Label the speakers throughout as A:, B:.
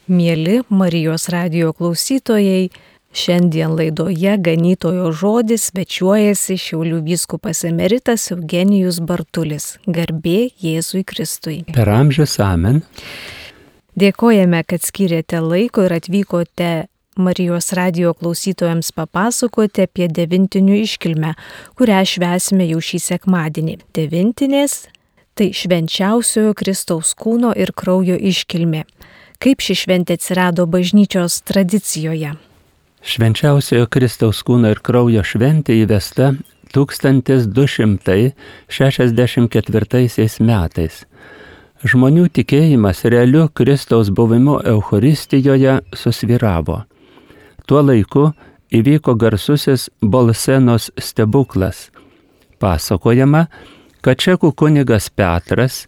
A: Mieli Marijos radijo klausytojai, šiandien laidoje Ganytojo žodis svečiuojasi Šiaulių vyskupas emeritas Eugenijus Bartulis. Garbė Jėzui Kristui.
B: Per amžius amen.
A: Dėkojame, kad skyrėte laiko ir atvykote Marijos radijo klausytojams papasakoti apie devintinių iškilmę, kurią švęsime jau šį sekmadienį. Devintinės – tai švenčiausiojo Kristaus kūno ir kraujo iškilmė. Kaip ši šventė atsirado bažnyčios tradicijoje?
B: Švenčiausiojo Kristaus kūno ir kraujo šventė įvesta 1264 metais. Žmonių tikėjimas realiu Kristaus buvimu Eucharistijoje susvyravo. Tuo laiku įvyko garsusis Bolsenos stebuklas. Pasakojama, kad čekų kunigas Petras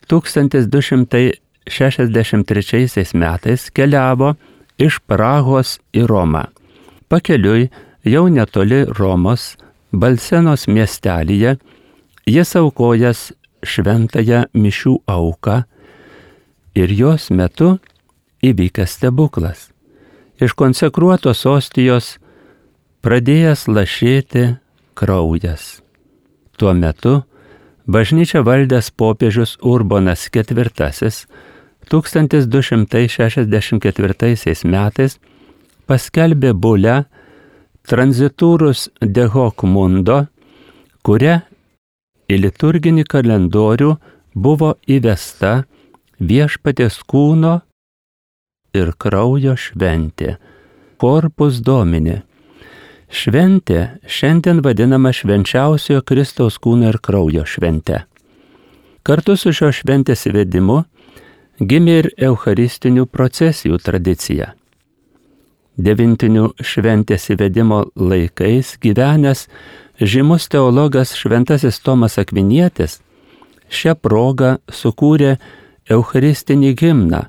B: 1263 metais keliavo iš Prahos į Romą. Pakeliui jau netoli Romos, Bolsenos miestelyje, jis aukojęs šventąją mišių auką ir jos metu įvykęs stebuklas. Iš konsekruotos ostijos pradėjęs lašėti kraujas. Tuo metu bažnyčią valdęs popiežius Urbonas IV 1264 metais paskelbė bulę Transiturus de hoc mundo, kuria į liturginį kalendorių buvo įvesta Viešpaties kūno ir kraujo šventė, Corpus Domini. Šventė šiandien vadinama švenčiausiojo Kristaus kūno ir kraujo švente. Kartu su šios šventės įvedimu gimė ir eucharistinių procesijų tradicija. Devintinių šventės įvedimo laikais gyvenęs žymus teologas šventasis Tomas Akvinietis šią progą sukūrė eucharistinį himną,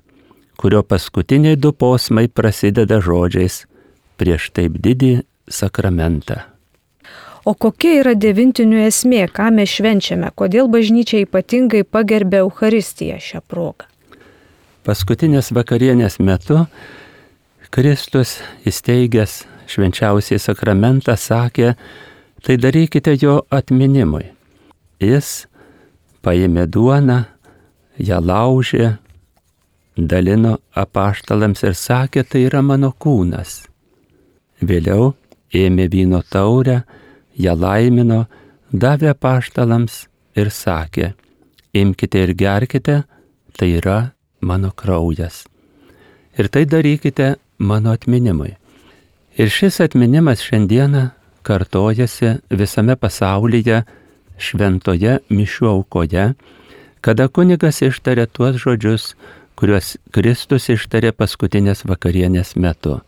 B: kurio paskutiniai du posmai prasideda žodžiais prieš taip didį sakramentą.
A: O kokia yra devintinių esmė, ką mes švenčiame, kodėl bažnyčia ypatingai pagerbė Eucharistiją šią progą?
B: Paskutinės vakarienės metu Kristus, įsteigęs švenčiausiai sakramentą, sakė, tai darykite jo atminimui. Jis paėmė duoną, ją laužė, dalino apaštalams ir sakė, tai yra mano kūnas. Vėliau ėmė vyno taurę, ją laimino, davė apaštalams ir sakė, imkite ir gerkite, tai yra mano kraujas. Ir tai darykite mano atminimui. Ir šis atminimas šiandieną kartojasi visame pasaulyje šventoje mišių aukoje, kada kunigas ištarė tuos žodžius, kuriuos Kristus ištarė paskutinės vakarienės metu.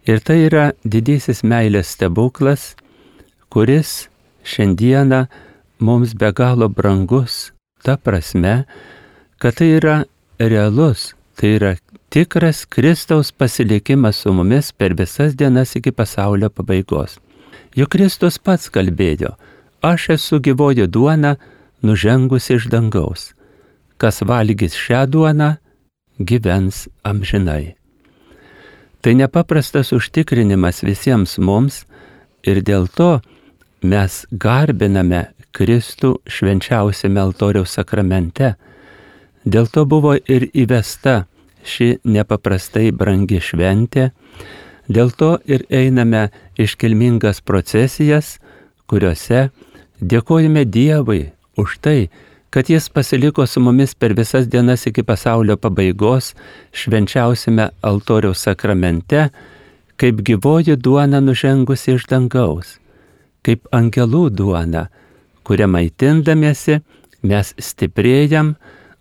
B: Ir tai yra didysis meilės stebuklas, kuris šiandieną mums be galo brangus, ta prasme, kad tai yra realus, tai yra tikras Kristaus pasilikimas su mumis per visas dienas iki pasaulio pabaigos. Juk Kristus pats kalbėjo, aš esu gyvoji duona, nužengusi iš dangaus. Kas valgys šią duoną, gyvens amžinai. Tai nepaprastas užtikrinimas visiems mums ir dėl to mes garbiname Kristų švenčiausiame altoriaus sakramente. Dėl to buvo ir įvesta ši nepaprastai brangi šventė, dėl to ir einame iškilmingas procesijas, kuriuose dėkojame Dievui už tai, kad Jis pasiliko su mumis per visas dienas iki pasaulio pabaigos švenčiausiame altoriaus sakramente, kaip gyvoji duona nužengusi iš dangaus, kaip angelų duona, kurią maitindamiesi mes stiprėjam,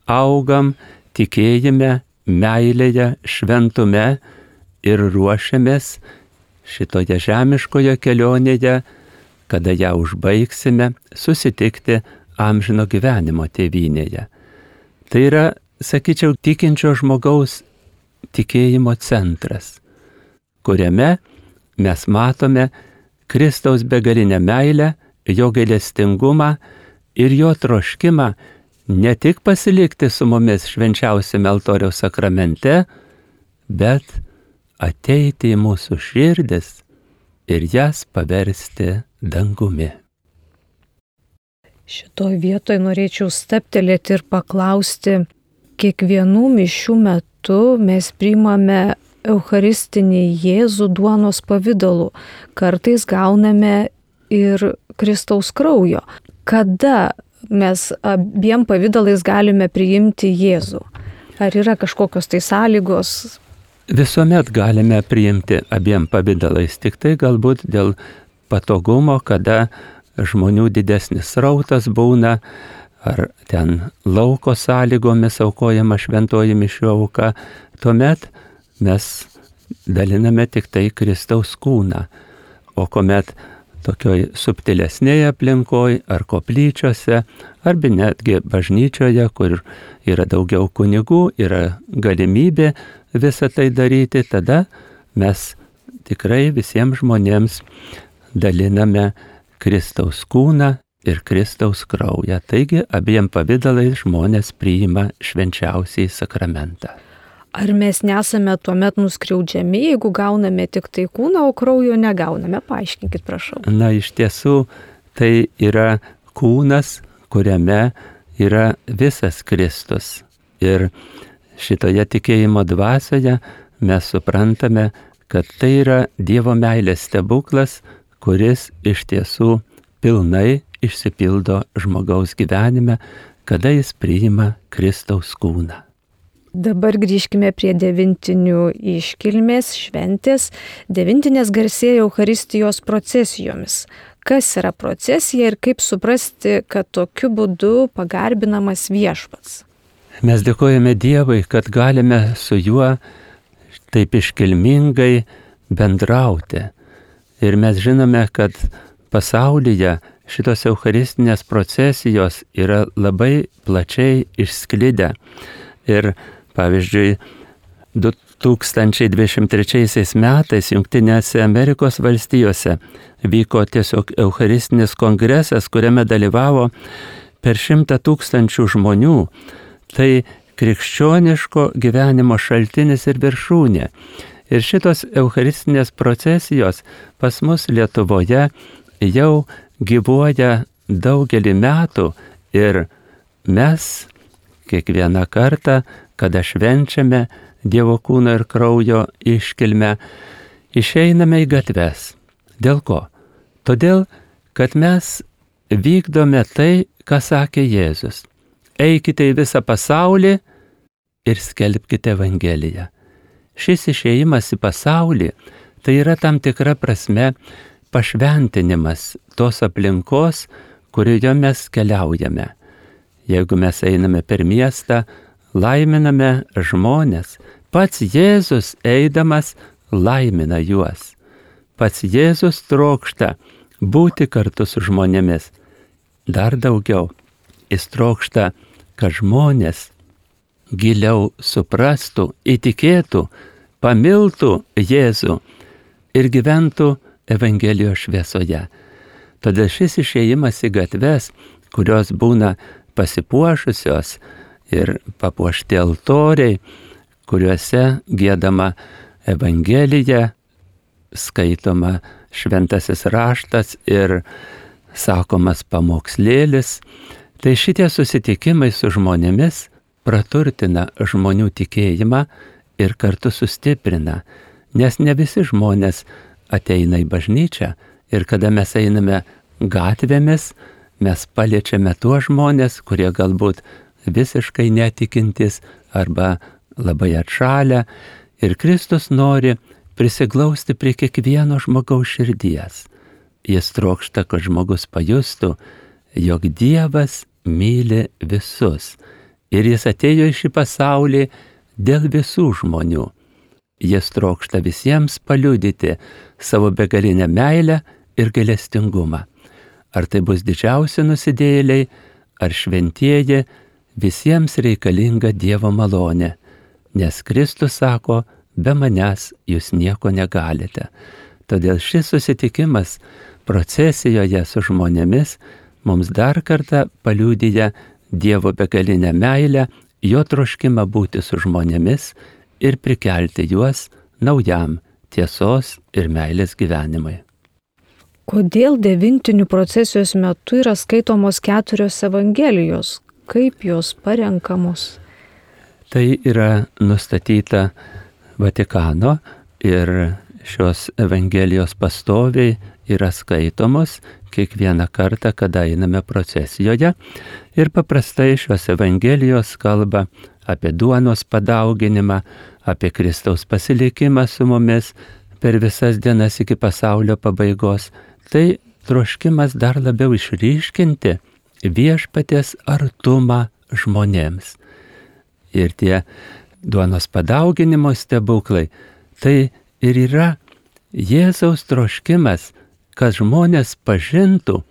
B: augam, tikėjime, meilėje, šventume ir ruošiamės šitoje žemiškoje kelionėje, kada ją užbaigsime, susitikti amžino gyvenimo tėvynėje. Tai yra, sakyčiau, tikinčio žmogaus tikėjimo centras, kuriame mes matome Kristaus begalinę meilę, jo gailestingumą ir jo troškimą ne tik pasilikti su mumis švenčiausiame altoriaus sakramente, bet ateiti į mūsų širdis ir jas paversti dangumi.
A: Šitoj vietoj norėčiau stabtelėti ir paklausti, kiekvienų mišių metu mes priimame eucharistinį Jėzų duonos pavidalu, kartais gauname ir Kristaus kraujo. Kada mes abiem pavidalais galime priimti Jėzų? Ar yra kažkokios tai sąlygos?
B: Visuomet galime priimti abiem pavidalais, tik tai galbūt dėl patogumo, kada žmonių didesnis srautas būna, ar ten lauko sąlygomis aukojama šventoji mišių auka, tuomet mes daliname tik tai Kristaus kūną. O kuomet tokioj subtilesnėje aplinkoje ar koplyčiose, arba netgi bažnyčioje, kur yra daugiau kunigų, yra galimybė visą tai daryti, tada mes tikrai visiems žmonėms daliname Kristaus kūną ir Kristaus kraują. Taigi abiem pavidalais žmonės priima švenčiausiąjį sakramentą.
A: Ar mes nesame tuomet nuskriaudžiami, jeigu gauname tik tai kūną, o kraujo negauname? Paaiškinkit, prašau.
B: Na, iš tiesų, tai yra kūnas, kuriame yra visas Kristus. Ir šitoje tikėjimo dvasioje mes suprantame, kad tai yra Dievo meilės stebuklas, kuris iš tiesų pilnai išsipildo žmogaus gyvenime, kada jis priima Kristaus kūną.
A: Dabar grįžkime prie devintinių iškilmės šventės. Devintinės garsėja Eucharistijos procesijomis. Kas yra procesija ir kaip suprasti, kad tokiu būdu pagarbinamas viešpats?
B: Mes dėkojame Dievui, kad galime su juo taip iškilmingai bendrauti. Ir mes žinome, kad pasaulyje šitos eucharistinės procesijos yra labai plačiai išsklidę. Ir pavyzdžiui, 2023 metais Jungtinėse Amerikos valstijose vyko tiesiog eucharistinis kongresas, kuriame dalyvavo per 100 000 žmonių. Tai krikščioniško gyvenimo šaltinis ir viršūnė. Ir šitos eucharistinės procesijos pas mus Lietuvoje jau gyvuoja daugelį metų ir mes kiekvieną kartą, kada švenčiame Dievo kūno ir kraujo iškilmę, išeiname į gatves. Dėl ko? Todėl, kad mes vykdome tai, ką sakė Jėzus. Eikite į visą pasaulį ir skelbkite Evangeliją. Šis išėjimas į pasaulį tai yra tam tikra prasme pašventinimas tos aplinkos, kurioje mes keliaujame. Jeigu mes einame per miestą, laiminame žmones. Pats Jėzus eidamas laimina juos. Pats Jėzus trokšta būti kartu su žmonėmis. Dar daugiau, jis trokšta, kad žmonės giliau suprastų, įtikėtų, pamiltų Jėzų ir gyventų Evangelijos šviesoje. Todėl šis išėjimas į gatves, kurios būna pasipuošusios ir papuošti altoriai, kuriuose giedama Evangelija, skaitoma šventasis raštas ir sakomas pamokslėlis, tai šitie susitikimai su žmonėmis praturtina žmonių tikėjimą ir kartu sustiprina, nes ne visi žmonės ateina į bažnyčią ir kada mes einame gatvėmis, mes paliečiame tuos žmonės, kurie galbūt visiškai netikintis arba labai atšalę ir Kristus nori prisiglausti prie kiekvieno žmogaus širdies. Jis trokšta, kad žmogus pajustų, jog Dievas myli visus. Ir jis atėjo į šį pasaulį dėl visų žmonių. Jis trokšta visiems paliudyti savo begalinę meilę ir gailestingumą. Ar tai bus didžiausi nusidėjėliai, ar šventieji, visiems reikalinga Dievo malonė. Nes Kristus sako, be manęs jūs nieko negalite. Todėl šis susitikimas procesijoje su žmonėmis mums dar kartą paliudija Dievo begalinę meilę, jo troškimą būti su žmonėmis ir prikelti juos naujam tiesos ir meilės gyvenimui.
A: Kodėl devintinių procesijos metu yra skaitomos 4 evangelijos? Kaip jos parenkamos?
B: Tai yra nustatyta Vatikano ir šios evangelijos pastoviai yra skaitomos kiekvieną kartą, kada einame procesijoje. Ir paprastai šios evangelijos kalba apie duonos padauginimą, apie Kristaus pasilikimą su mumis per visas dienas iki pasaulio pabaigos. Tai troškimas dar labiau išryškinti viešpaties artumą žmonėms. Ir tie duonos padauginimo stebuklai, tai ir yra Jėzaus troškimas, kad žmonės pažintų,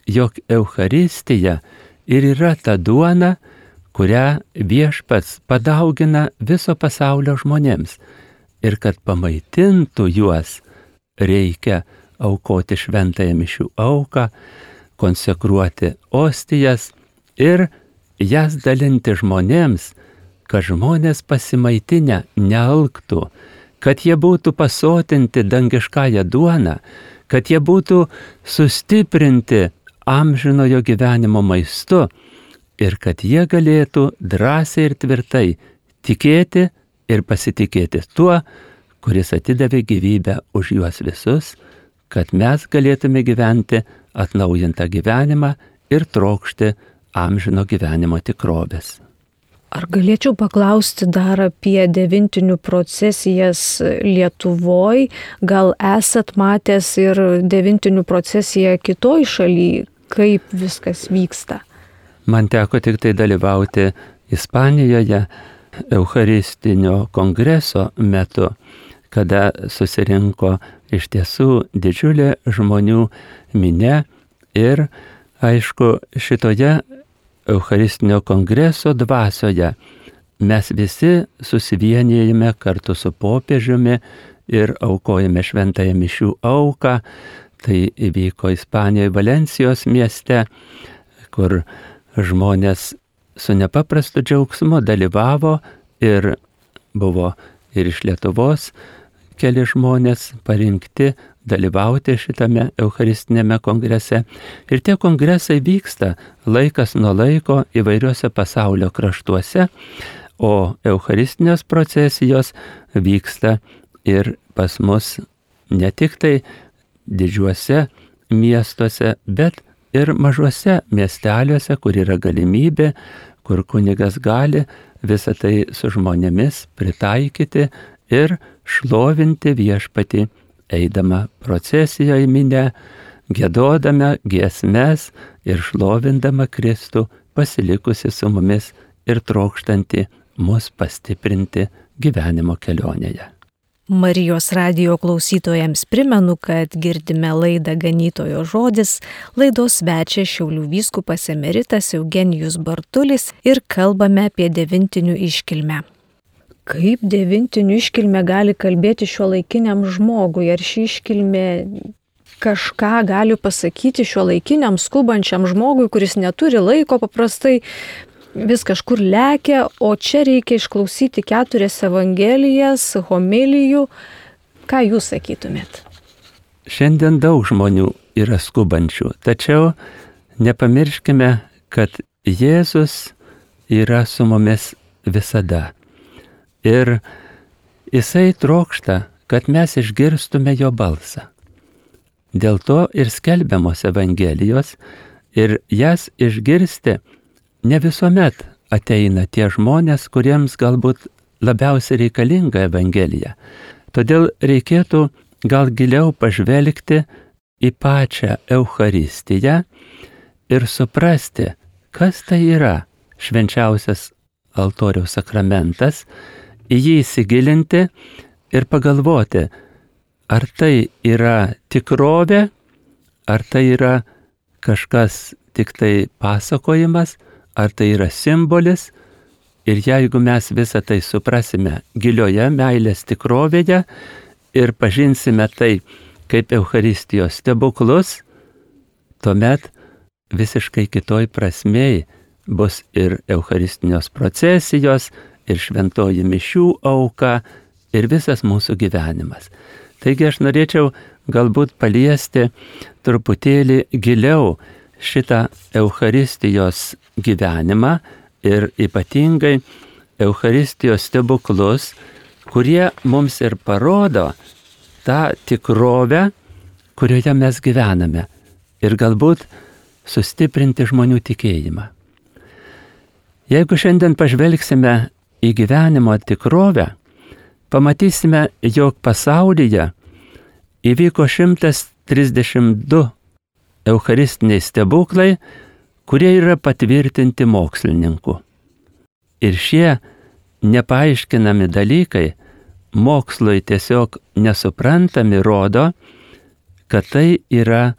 B: jog Eucharistija ir yra ta duona, kurią viešpats padaugina viso pasaulio žmonėms. Ir kad pamaitintų juos, reikia aukoti šventąją mišių auką, konsekruoti ostijas ir jas dalinti žmonėms, kad žmonės pasimaitinę nealktų, kad jie būtų pasotinti dangiškąją duoną, kad jie būtų sustiprinti amžinojo gyvenimo maistu ir kad jie galėtų drąsiai ir tvirtai tikėti ir pasitikėti tuo, kuris atidavė gyvybę už juos visus, kad mes galėtume gyventi atnaujintą gyvenimą ir trokšti amžino gyvenimo tikrovės.
A: Ar galėčiau paklausti dar apie devintinių procesijas Lietuvoj? Gal esat matęs ir devintinių procesiją kitoj šaly, kaip viskas vyksta?
B: Man teko tik tai dalyvauti Ispanijoje Eucharistinio kongreso metu, kada susirinko iš tiesų didžiulė žmonių minia ir, aišku, šitoje Eucharistinio kongreso dvasioje mes visi susivienijame kartu su popiežiumi ir aukojame šventąją mišių auką. Tai įvyko Ispanijoje Valencijos mieste, kur žmonės su nepaprastu džiaugsmu dalyvavo ir buvo ir iš Lietuvos keli žmonės parinkti dalyvauti šitame Eucharistinėme kongrese. Ir tie kongresai vyksta laikas nuo laiko įvairiuose pasaulio kraštuose, o Eucharistinės procesijos vyksta ir pas mus ne tik tai didžiuose miestuose, bet ir mažuose miesteliuose, kur yra galimybė, kur kunigas gali visą tai su žmonėmis pritaikyti ir šlovinti viešpatį, eidama procesijoje minę, giedodama giesmes ir šlovindama Kristų, pasilikusi su mumis ir trokštanti mus pastiprinti gyvenimo kelionėje.
A: Marijos radijo klausytojams primenu, kad girdime laidą Ganytojo žodis, laidos svečia Šiaulių vyskupas emeritas Eugenijus Bartulis ir kalbame apie devintinių iškilmę. Kaip devintinių iškilmė gali kalbėti šiuolaikiniam žmogui? Ar ši iškilmė kažką gali pasakyti šiuolaikiniam skubančiam žmogui, kuris neturi laiko, paprastai vis kažkur lekia, o čia reikia išklausyti 4 evangelijas, homilijų. Ką jūs sakytumėt?
B: Šiandien daug žmonių yra skubančių, tačiau nepamirškime, kad Jėzus yra su mumis visada. Ir jisai trokšta, kad mes išgirstume jo balsą. Dėl to ir skelbiamos evangelijos, ir jas išgirsti ne visuomet ateina tie žmonės, kuriems galbūt labiausiai reikalinga evangelija. Todėl reikėtų gal giliau pažvelgti į pačią Eucharistiją ir suprasti, kas tai yra švenčiausias altoriaus sakramentas, į jį įsigilinti ir pagalvoti, ar tai yra tikrovė, ar tai yra kažkas tik tai pasakojimas, ar tai yra simbolis. Ir jeigu mes visą tai suprasime gilioje meilės tikrovėje ir pažinsime tai kaip Eucharistijos stebuklus, tuomet visiškai kitoj prasmei bus ir Eucharistinės procesijos, ir šventoji mišių auka, ir visas mūsų gyvenimas. Taigi aš norėčiau galbūt paliesti truputėlį giliau šitą Eucharistijos gyvenimą ir ypatingai Eucharistijos stebuklus, kurie mums ir parodo tą tikrovę, kurioje mes gyvename, ir galbūt sustiprinti žmonių tikėjimą. Jeigu šiandien pažvelgsime į gyvenimo tikrovę, pamatysime, jog pasaulyje įvyko 132 eucharistiniai stebuklai, kurie yra patvirtinti mokslininkų. Ir šie nepaaiškinami dalykai mokslui tiesiog nesuprantami rodo, kad tai yra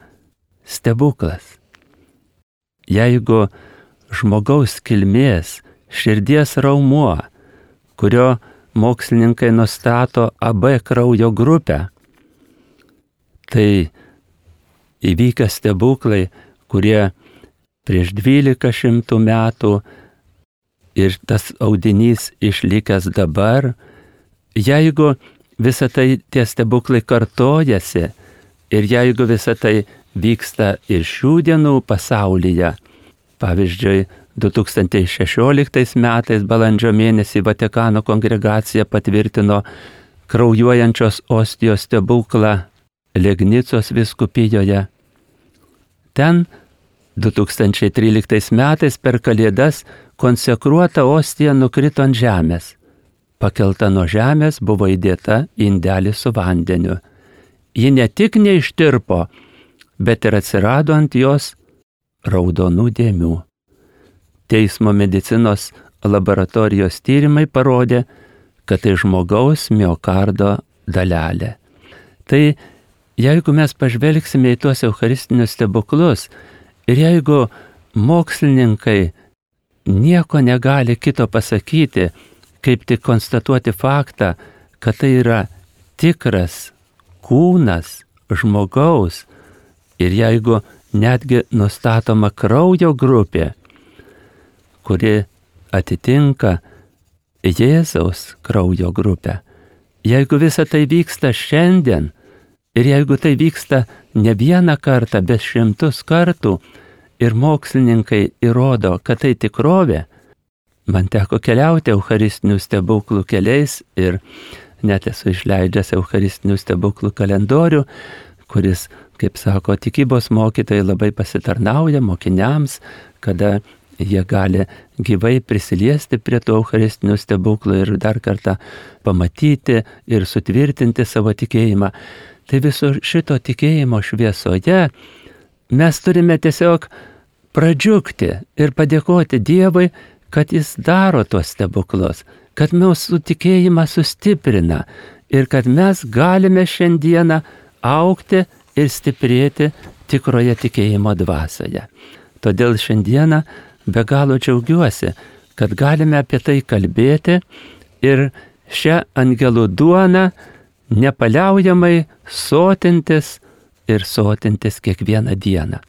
B: stebuklas. Jeigu žmogaus kilmės širdies raumuo, kurio mokslininkai nustato AB kraujo grupę, tai įvykę stebuklai, kurie prieš 1200 metų ir tas audinys išlikęs dabar, jeigu visa tai tie stebuklai kartojasi ir jeigu visa tai vyksta ir šių dienų pasaulyje, pavyzdžiui, 2016 metais balandžio mėnesį Vatikano kongregacija patvirtino kraujuojančios ostijos stebuklą Legnicos vyskupijoje. Ten 2013 metais per Kalėdas konsekruota ostija nukrito ant žemės. Pakelta nuo žemės buvo įdėta į indelį su vandeniu. Ji ne tik neištirpo, bet ir atsirado ant jos raudonų dėmių. Teismo medicinos laboratorijos tyrimai parodė, kad tai žmogaus miokardo dalelė. Tai jeigu mes pažvelgsime į tuos eucharistinius stebuklus ir jeigu mokslininkai nieko negali kito pasakyti, kaip tik konstatuoti faktą, kad tai yra tikras kūnas žmogaus ir jeigu netgi nustatoma kraujo grupė, kuri atitinka Jėzaus kraujo grupę. Jeigu visa tai vyksta šiandien ir jeigu tai vyksta ne vieną kartą, bet 100 kartų ir mokslininkai įrodo, kad tai tikrovė, man teko keliauti eucharistinių stebuklų keliais ir net esu išleidęs eucharistinių stebuklų kalendorių, kuris, kaip sako, tikybos mokytojai labai pasitarnauja mokiniams, kada jie gali gyvai prisiliesti prie tų eucharistinių stebuklų ir dar kartą pamatyti ir sutvirtinti savo tikėjimą. Tai viso šito tikėjimo šviesoje mes turime tiesiog pradžiugti ir padėkoti Dievui, kad Jis daro tuos stebuklus, kad mūsų tikėjimą sustiprina ir kad mes galime šiandieną augti ir stiprėti tikroje tikėjimo dvasioje. Todėl šiandieną be galo džiaugiuosi, kad galime apie tai kalbėti ir šią angelų duoną nepaliaujamai sotintis ir sotintis kiekvieną dieną.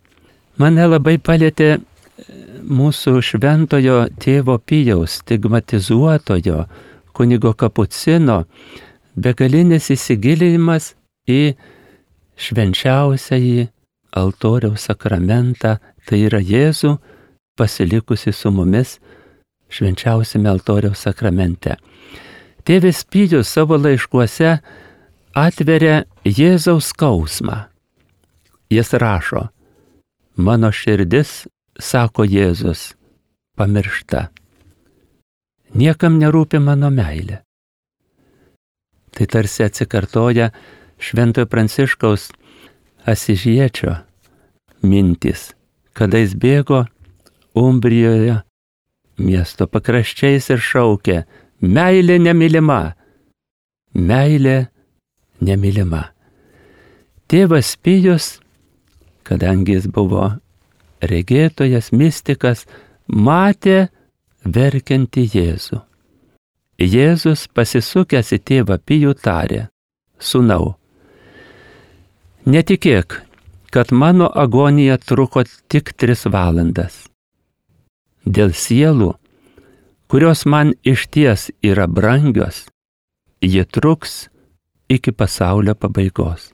B: Mane labai palietė mūsų šventojo tėvo Pijaus stigmatizuotojo kunigo Kapucino begalinis įsigilinimas į švenčiausiąjį altoriaus sakramentą, tai yra Jėzų pasilikusi su mumis švenčiausiame altoriaus sakramente. Tėvis Pijus savo laiškuose atveria Jėzaus skausmą. Jis rašo: mano širdis, sako Jėzus, pamiršta. Niekam nerūpi mano meilė. Tai tarsi atsikartoja Šventojo Pranciškaus Asižiečio mintys, kada jis bėgo Umbrijoje miesto pakraščiais ir šaukė: meilė nemylima, meilė nemylima. Tėvas Pijus, kadangi jis buvo regėtojas, mistikas, matė verkiantį Jėzų. Jėzus pasisukęs į tėvą Pijų tarė: sūnau, netikėk, kad mano agonija truko tik 3 valandas. Dėl sielų, kurios man išties yra brangios, ji truks iki pasaulio pabaigos.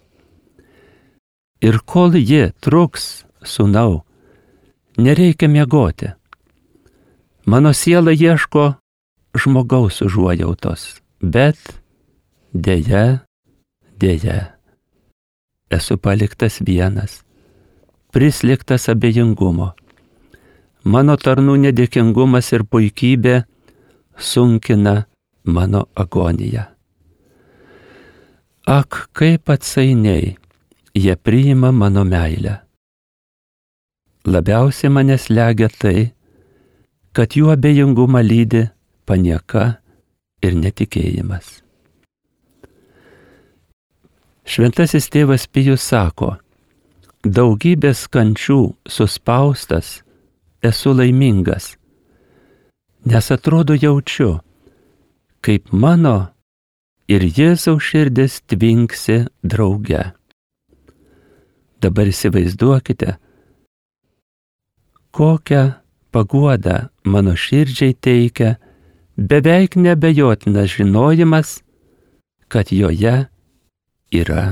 B: Ir kol ji truks, sūnau, nereikia miegoti. Mano siela ieško žmogaus užuojautos, bet deja, esu paliktas vienas, prislėgtas abejingumo. Mano tarnų nedėkingumas ir puikybė sunkina mano agoniją. Ak, kaip atsainiai jie priima mano meilę. Labiausiai mane slegia tai, kad jų abejingumą lydi panieka ir netikėjimas. Šventasis tėvas Pijus sako, daugybės kančių suspaustas esu laimingas, nes atrodo jaučiu, kaip mano ir Jėzaus širdis tvinksi drauge. Dabar įsivaizduokite, kokią paguodą mano širdžiai teikia beveik neabejotinas žinojimas, kad joje yra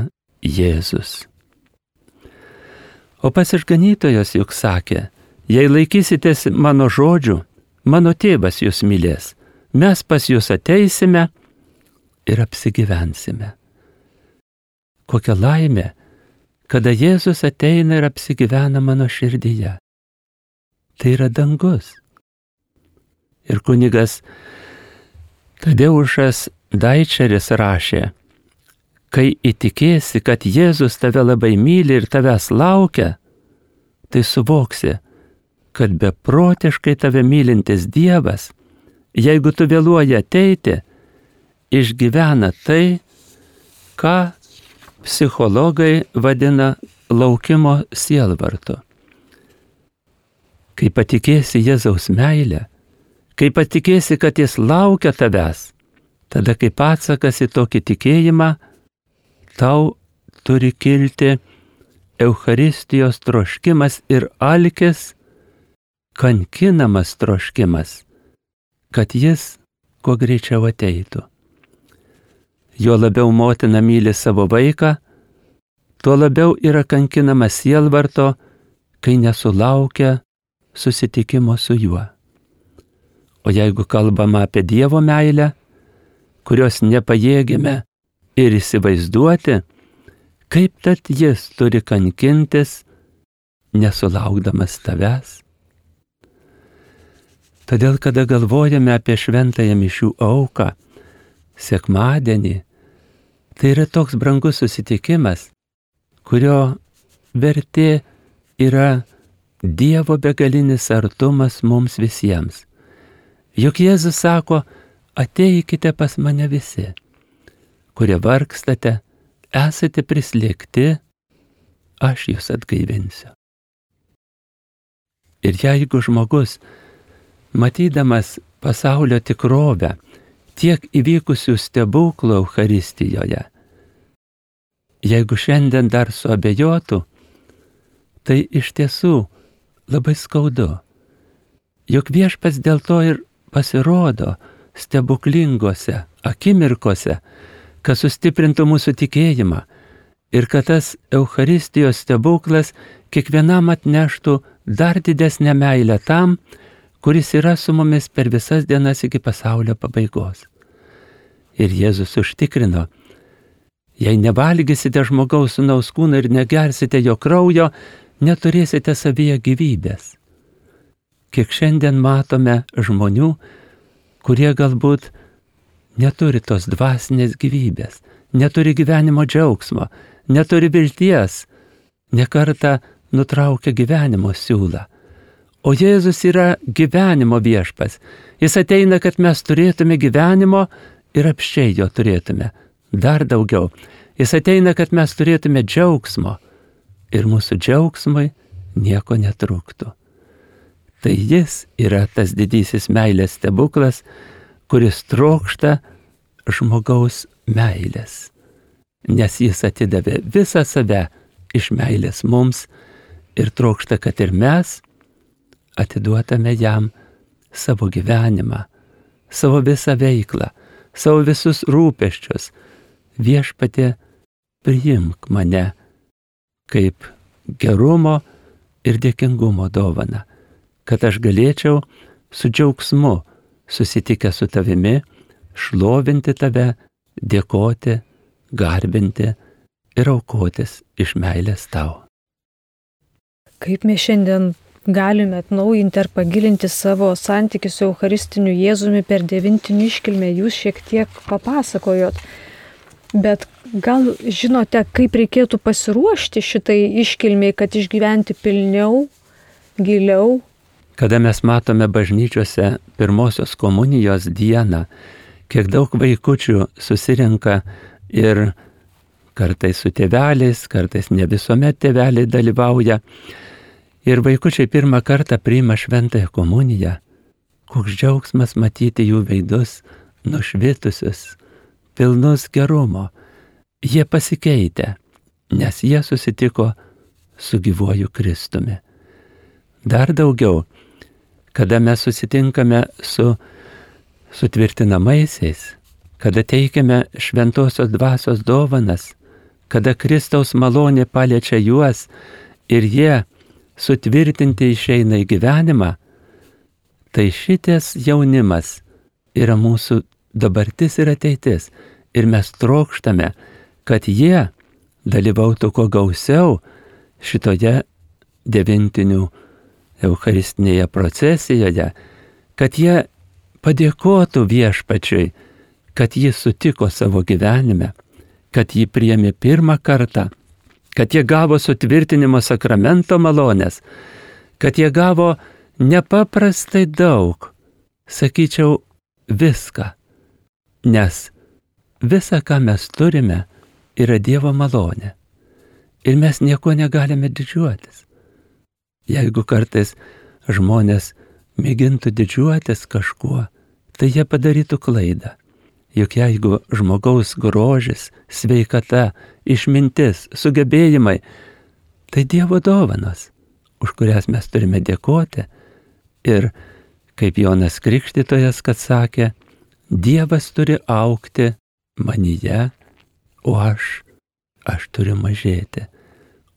B: Jėzus. O pats išganytojas juk sakė, jei laikysitės mano žodžių, mano tėvas jūs mylės, mes pas jūs ateisime ir apsigyvensime. Kokia laimė, kada Jėzus ateina ir apsigyvena mano širdyje. Tai yra dangus. Ir kunigas Tadeušas Daičeris rašė, kai įtikėsi, kad Jėzus tave labai myli ir tavęs laukia, tai suvoksi, kad beprotiškai tave mylintis Dievas, jeigu tu vėluoji ateiti, išgyvena tai, ką psichologai vadina laukimo sielvartu. Kai patikėsi Jėzaus meilę, kai patikėsi, kad jis laukia tavęs, tada kaip atsakas į tokį tikėjimą, tau turi kilti Eucharistijos troškimas ir alkis, kankinamas troškimas, kad jis kuo greičiau ateitų. Jo labiau motina myli savo vaiką, tuo labiau yra kankinamas sielvarto, kai nesulaukia susitikimo su juo. O jeigu kalbama apie Dievo meilę, kurios nepajėgime ir įsivaizduoti, kaip tad jis turi kankintis, nesulaukdamas tavęs. Todėl, kada galvojame apie šventąją mišių auką, sekmadienį, tai yra toks brangus susitikimas, kurio vertė yra Dievo begalinis artumas mums visiems. Juk Jėzus sako, ateikite pas mane visi, kurie vargstate, esate prislėgti, aš jūs atgaivinsiu. Ir jeigu žmogus, matydamas pasaulio tikrovę, tiek įvykusių stebuklų Eucharistijoje, jeigu šiandien dar suabejotų, tai iš tiesų labai skaudu. Juk Viešpats dėl to ir pasirodo stebuklingose akimirkose, kad sustiprintų mūsų tikėjimą ir kad tas Eucharistijos stebuklas kiekvienam atneštų dar didesnę meilę tam, kuris yra su mumis per visas dienas iki pasaulio pabaigos. Ir Jėzus užtikrino, jei nevalgysite žmogaus sūnaus kūną ir negersite jo kraujo, neturėsite savyje gyvybės. Kiek šiandien matome žmonių, kurie galbūt neturi tos dvasinės gyvybės, neturi gyvenimo džiaugsmo, neturi vilties, nekartą nutraukia gyvenimo siūlą. O Jėzus yra gyvenimo viešpas. Jis ateina, kad mes turėtume gyvenimo ir apsčiai jo turėtume. Dar daugiau. Jis ateina, kad mes turėtume džiaugsmo ir mūsų džiaugsmui nieko netrūktų. Tai jis yra tas didysis meilės stebuklas, kuris trokšta žmogaus meilės, nes jis atidavė visą save iš meilės mums ir trokšta, kad ir mes atiduotame jam savo gyvenimą, savo visą veiklą, savo visus rūpesčius. Viešpatie, priimk mane kaip gerumo ir dėkingumo dovaną, kad aš galėčiau su džiaugsmu susitikęs su tavimi, šlovinti tave, dėkoti, garbinti ir aukotis iš meilės tau.
A: Kaip mes šiandien galime atnaujinti ar pagilinti savo santykių su Eucharistiniu Jėzumi per devintinių iškilmę, jūs šiek tiek papasakojot. Bet gal žinote, kaip reikėtų pasiruošti šitai iškilmiai, kad išgyventi pilniau, giliau?
B: Kada mes matome bažnyčiose pirmosios komunijos dieną, kiek daug vaikučių susirenka ir kartais su tėveliais, kartais ne visuomet tėveliai dalyvauja. Ir vaikučiai pirmą kartą priima šventąją komuniją. Koks džiaugsmas matyti jų veidus nušvitusius, pilnus gerumo. Jie pasikeitė, nes jie susitiko su gyvuoju Kristumi. Dar daugiau, kada mes susitinkame su sutvirtinamaisiais, kada teikiame šventosios dvasios dovanas, kada Kristaus malonė paliečia juos ir jie sutvirtinti išeina į gyvenimą, tai šitas jaunimas yra mūsų dabartis ir ateitis. Ir mes trokštame, kad jie dalyvautų kuo gausiau šitoje devintinių eucharistinėje procesijoje, kad jie padėkotų viešpačiui, kad jis sutiko savo gyvenime, kad jį priėmė pirmą kartą, kad jie gavo sutvirtinimo sakramento malonės, kad jie gavo nepaprastai daug, sakyčiau, viską, nes visa, ką mes turime, yra Dievo malonė ir mes nieko negalime didžiuotis. Jeigu kartais žmonės mėgintų didžiuotis kažkuo, tai jie padarytų klaidą. Juk jeigu žmogaus grožis, sveikata, išmintis, sugebėjimai, tai Dievo dovanos, už kurias mes turime dėkoti. Ir kaip Jonas Krikštytojas, kad sakė, Dievas turi augti manyje, o aš turiu mažėti,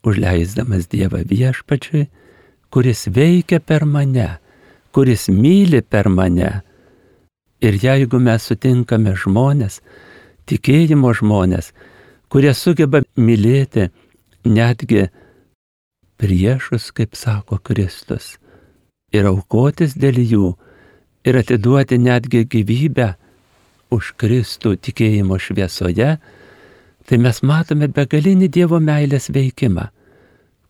B: užleisdamas Dievą viešpačiui, kuris veikia per mane, kuris myli per mane. Ir jeigu mes sutinkame žmonės, tikėjimo žmonės, kurie sugeba mylėti netgi priešus, kaip sako Kristus, ir aukotis dėl jų, ir atiduoti netgi gyvybę už Kristų tikėjimo šviesoje, tai mes matome begalinį Dievo meilės veikimą,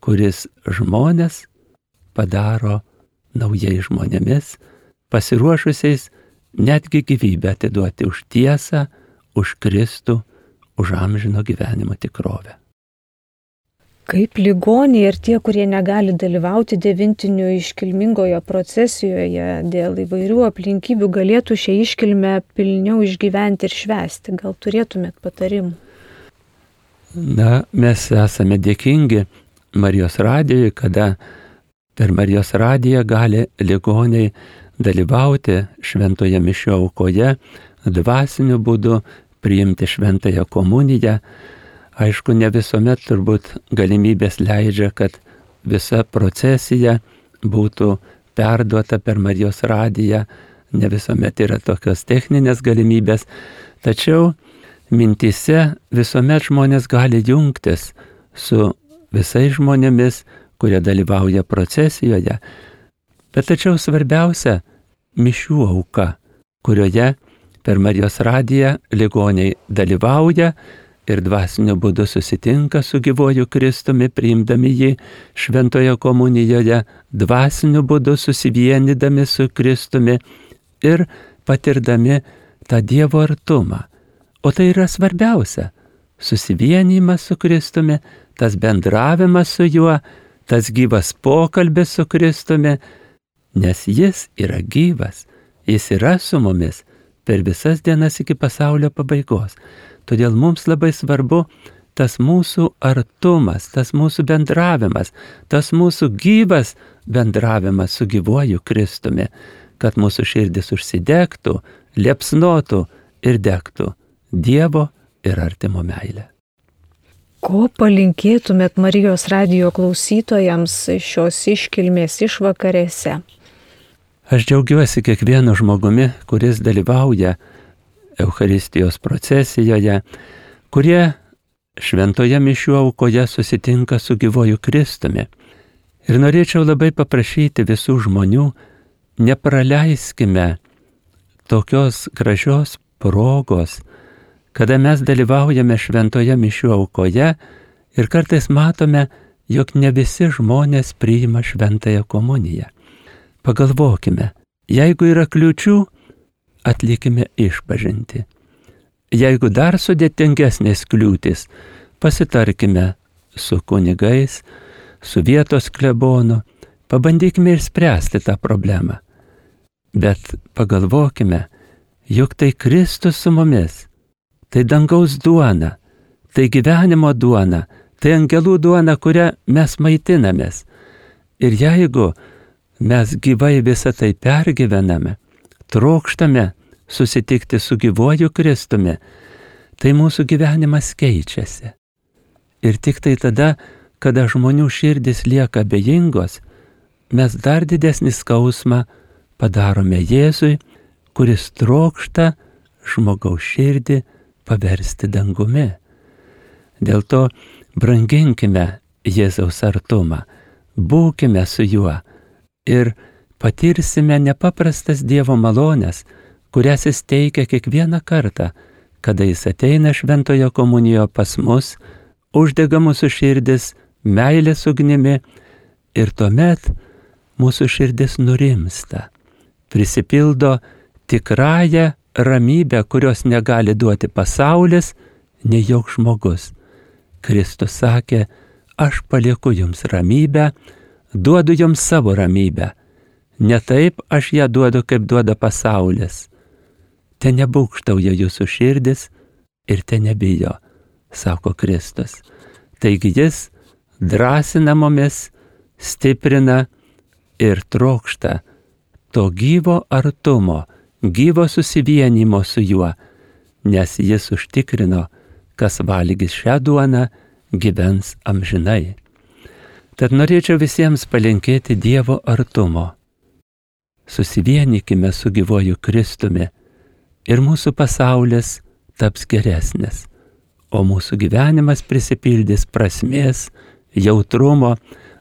B: kuris žmonės padaro naujais žmonėmis, pasiruošusiais netgi gyvybę atiduoti už tiesą, už Kristų, už amžino gyvenimo tikrovę.
A: Kaip ligoniai ir tie, kurie negali dalyvauti devintinių iškilmingoje procesijoje dėl įvairių aplinkybių, galėtų šią iškilmę pilniau išgyventi ir švęsti? Gal turėtumėt patarimų?
B: Na, mes esame dėkingi Marijos radijui, kada per Marijos radiją gali ligoniai dalyvauti šventoje mišių aukoje, dvasiniu būdu priimti šventąją komuniją. Aišku, ne visuomet turbūt galimybės leidžia, kad visa procesija būtų perduota per Marijos radiją, ne visuomet yra tokios techninės galimybės, tačiau mintyse visuomet žmonės gali jungtis su visais žmonėmis, kurie dalyvauja procesijoje. Bet tačiau svarbiausia mišių auka, kurioje per Marijos radiją ligoniai dalyvauja ir dvasiniu būdu susitinka su gyvuoju Kristumi, priimdami jį šventoje komunijoje, dvasiniu būdu susivienydami su Kristumi ir patirdami tą Dievo artumą. O tai yra svarbiausia - susivienijimas su Kristumi, tas bendravimas su juo, tas gyvas pokalbis su Kristumi, nes jis yra gyvas, jis yra su mumis per visas dienas iki pasaulio pabaigos. Todėl mums labai svarbu tas mūsų artumas, tas mūsų bendravimas, tas mūsų gyvas bendravimas su gyvuoju Kristumi, kad mūsų širdis užsidegtų, liepsnotų ir degtų Dievo ir artimo meilę.
A: Ko palinkėtumėt Marijos radijo klausytojams šios iškilmės išvakarėse?
B: Aš džiaugiuosi kiekvienu žmogumi, kuris dalyvauja Eucharistijos procesijoje, kurie šventoje mišių aukoje susitinka su gyvuoju Kristumi. Ir norėčiau labai paprašyti visų žmonių, nepraleiskime tokios gražios progos, kada mes dalyvaujame šventoje mišių aukoje ir kartais matome, jog ne visi žmonės priima šventąją komuniją. Pagalvokime, jeigu yra kliūčių, atlikime išpažintį. Jeigu dar sudėtingesnės kliūtis, pasitarkime su kunigais, su vietos klebonu, pabandykime išspręsti tą problemą. Bet pagalvokime, juk tai Kristus su mumis, tai dangaus duona, tai gyvenimo duona, tai angelų duona, kurią mes maitinamės. Ir jeigu mes gyvai visą tai pergyvename, trokštame susitikti su gyvuoju Kristumi, tai mūsų gyvenimas keičiasi. Ir tik tai tada, kada žmonių širdis lieka abejingos, mes dar didesnį skausmą padarome Jėzui, kuris trokšta žmogaus širdį paversti dangumi. Dėl to branginkime Jėzaus artumą, būkime su juo ir patirsime nepaprastas Dievo malonės, kurias jis teikia kiekvieną kartą, kada jis ateina šventoje komunijoje pas mus, uždega mūsų širdis meilės ugnimi ir tuomet mūsų širdis nurimsta, prisipildo tikrąją ramybę, kurios negali duoti pasaulis, nei joks žmogus. Kristus sakė, aš palieku jums ramybę, duodu jums savo ramybę. Ne taip aš ją duodu, kaip duoda pasaulis. Te nebūkštauja jūsų širdis ir te nebijo, sako Kristus. Taigi jis drąsina mumis, stiprina ir trokšta to gyvo artumo, gyvo susivienimo su juo, nes jis užtikrino, kas valgys šią duoną, gyvens amžinai. Tad norėčiau visiems palinkėti Dievo artumo. Susivienykime su gyvuoju Kristumi ir mūsų pasaulis taps geresnis, o mūsų gyvenimas prisipildys prasmės, jautrumo,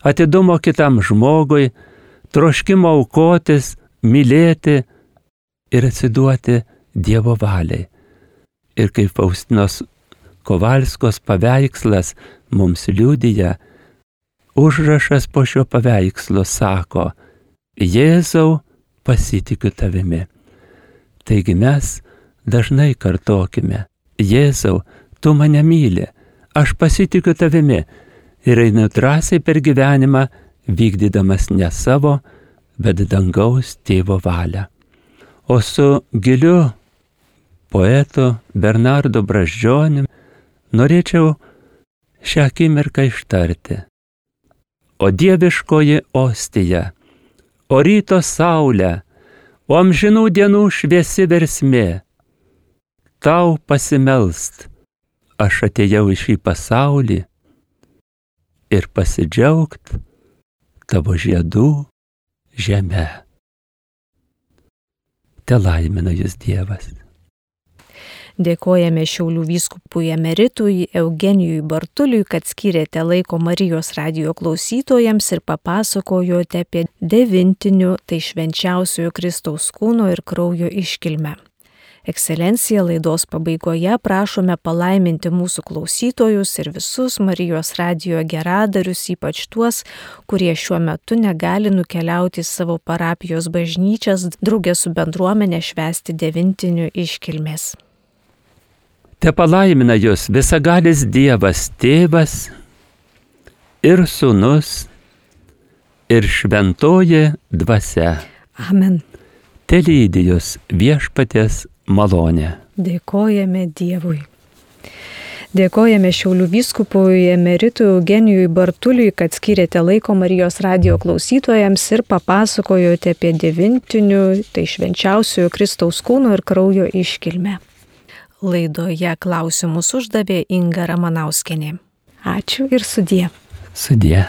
B: atidumo kitam žmogui, troškimo aukotis, mylėti ir atsiduoti Dievo valiai. Ir kaip Faustinos Kovalskos paveikslas mums liudija, užrašas po šio paveikslo sako, Jėzau, pasitikiu tavimi. Taigi mes dažnai kartokime, Jėzau, tu mane myli, aš pasitikiu tavimi ir einu drąsiai per gyvenimą, vykdydamas ne savo, bet dangaus tėvo valią. O su giliu poetu Bernardu Brazdžioniu norėčiau šią akimirką ištarti. O dieviškoji ostija, o ryto saulė, o amžinų dienų šviesi versmė, tau pasimelst, aš atėjau į šį pasaulį ir pasidžiaugt tavo žiedų žeme. Te laimina jus Dievas.
A: Dėkojame Šiaulių vyskupui emeritui Eugenijui Bartuliui, kad skyrėte laiko Marijos radijo klausytojams ir papasakojote apie devintinių, tai švenčiausiojo Kristaus kūno ir kraujo iškilmę. Ekscelencija, laidos pabaigoje prašome palaiminti mūsų klausytojus ir visus Marijos radijo geradarius, ypač tuos, kurie šiuo metu negali nukeliauti į savo parapijos bažnyčias drauge su bendruomenė švęsti devintinių iškilmės.
B: Te palaimina jūs visagalis Dievas Tėvas ir Sūnus ir Šventoji Dvasia.
A: Amen.
B: Te lydi jūs Viešpaties malonė.
A: Dėkojame Dievui. Dėkojame Šiaulių vyskupui emeritui Eugenijui Bartuliui, kad skyrėte laiko Marijos radijo klausytojams ir papasakojote apie devintinių, tai švenčiausiojo Kristaus kūno ir kraujo iškilmę. Laidoje klausimus uždavė Inga Ramanauskienė. Ačiū ir sudie.
B: Sudie.